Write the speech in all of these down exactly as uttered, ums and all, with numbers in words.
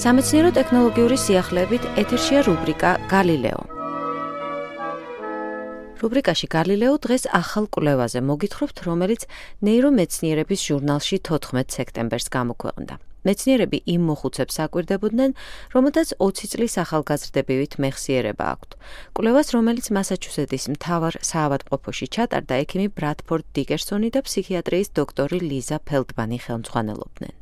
სამეცნიერო ტექნოლოგიური სიახლეებით ეთერშია რუბრიკა გალილეო. რუბრიკაში გალილეო დღეს ახალ კვლევაზე მოგითხრობთ, რომელიც ნეირომეცნიერების ჟურნალში თოთხმეტ სექტემბერს გამოქვეყნდა. მეცნიერები იმ მოხუცებს აკვირდებოდნენ, რომელთაც ოცი წლის ახალგაზრდებივით მეხსიერება აქვთ. კვლევას, რომელიც მასაჩუსეტის მთავარ საავადმყოფოში ჩატარდა, ექიმი ბრადფორდ დიკერსონი და ფსიქიატრიის დოქტორი ლიზა ფელდმანი ხელმძღვანელობდნენ.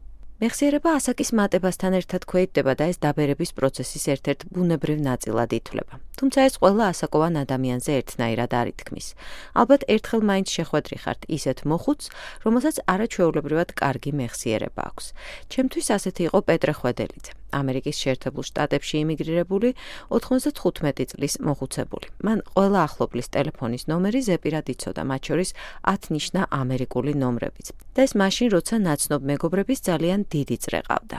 მეხსიერება ასაკის მატებასთან ერთად ქვეითდება და ეს დაბერების პროცესის ერთ-ერთ ბუნებრივ ნაწილად ითვლება. თუმცა ეს ყველა ასაკოვან ადამიანზე ერთნაირად არ ითქმის. ალბათ ერთხელ მაინც შეხვედრი ხართ ისეთ მოხუცს, რომელსაც არაჩვეულებრივად კარგი მეხსიერება აქვს. ჩემთვის ასეთი იყო პეტრე ხვედელიძე, ამერიკის შეერთებულ შტატებში იმიგრირებული ოთხმოცდათხუთმეტი წლის მოხუცებული. მან ყველა ახლობლის ტელეფონის ნომერი ზეპირად იცოდა, მათ შორის ათ ნიშნა ამერიკული ნომრებიც. და ეს მაშინ, როცა ნაცნობ მეგობრების ძალიან დიდი წრე ყავდა.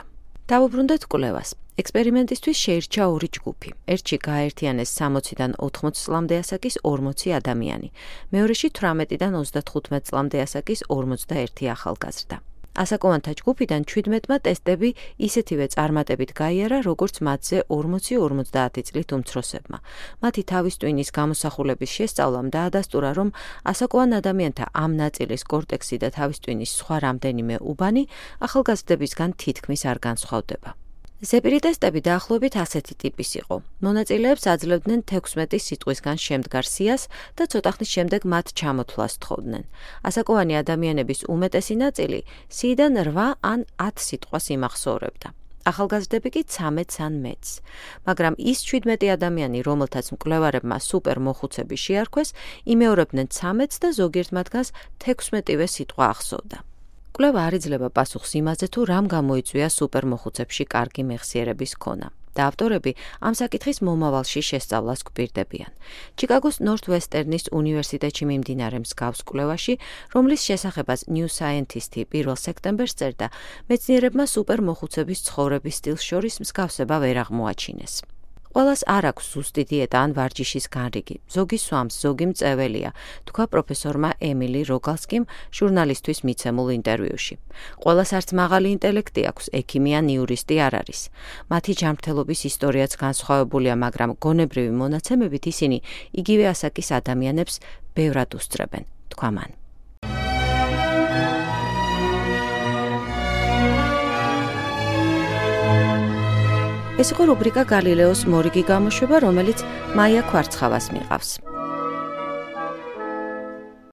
დავუბრუნდეთ კვლევას. ექსპერიმენტისთვის შეირჩა ორი ჯგუფი. ერთში გააერთიანეს სამოციდან ოთხმოცი წლამდე ასაკის ორმოცი ადამიანი, მეორეში თვრამეტიდან ოცდათხუთმეტ წლამდე ასაკის ორმოცდაერთი ახალგაზრდა. ასაკოვანთა ჯგუფიდან ჩვიდმეტმა ტესტები ისეთივე წარმატებით გაიარა, როგორც მათზე ორმოცი ორმოცდაათი წლით უმცროსებმა. მათი თავის ტვინის გამოსახულების შესწავლამ დაადასტურა, რომ ასაკოვან ადამიანთა ამ ნაწილის კორტექსი და თავის ტვინის სხვა რამდენიმე უბანი ახალგაზრდებისგან თითქმის არ განსხვავდება. ზეპირი ტესტები დაახლოებით ასეთი ტიპის იყო. მონაწილეებს აძლევდნენ თექვსმეტი სიტყვისგან შემდგარ სიას და ცოტა ხნის შემდეგ მათ ჩამოთვლას თხოვდნენ. ასაკოვანი ადამიანების უმეტესი ნაწილი სიიდან რვა ან ათ სიტყვას იმახსოვრებდა. ახალგაზრდები კი ცამეტს ან მეტს. მაგრამ ის ჩვიდმეტი ადამიანი, რომელთაც მკვლევარებმა სუპერ მოხუცები შეარქვეს, იმეორებდნენ ცამეტს და ზოგიერთ მათგანს თექვსმეტივე სიტყვა ახსოვდა. კვლევა არ იძლევა პასუხს იმაზე, თუ რამ გამოიწვია სუპერ მოხუცებში კარგი მეხსიერების ქონა. და ავტორები ამ საკითხის მომავალში შესწავლას გვპირდებიან. ჩიკაგოს ნორთვესტერნის უნივერსიტეტში მიმდინარე მსგავს კვლევაში, რომლის შესახებაც New Scientist პირველ სექტემბერს წერდა, მეცნიერებმა სუპერ მოხუცების ცხოვრების სტილს შორის მსგავსება ვერ აღმოაჩინეს. ყველას არ აქვს ზუსტი დიეტა ან ვარჯიშის განრიგი. ზოგი სვამს, ზოგი მწეველია, თქვა პროფესორმა ემილი როგალსკიმ ჟურნალისტვის მიცემულ ინტერვიუში. ყველას არც მაღალი ინტელექტი აქვს, ექიმი ან იურისტი არ არის. მათი ჯანმრთელობის ისტორიაც განსხვავებულია, მაგრამ გონებრივი მონაცემებით ისინი იგივე ასაკის ადამიანებს ბევრად უსწრებენ, თქვა მან. ეს იყო რუბრიკა გალილეოს მორიგი გამოშვება, რომელიც მაია ქვარცხავას მიყავს.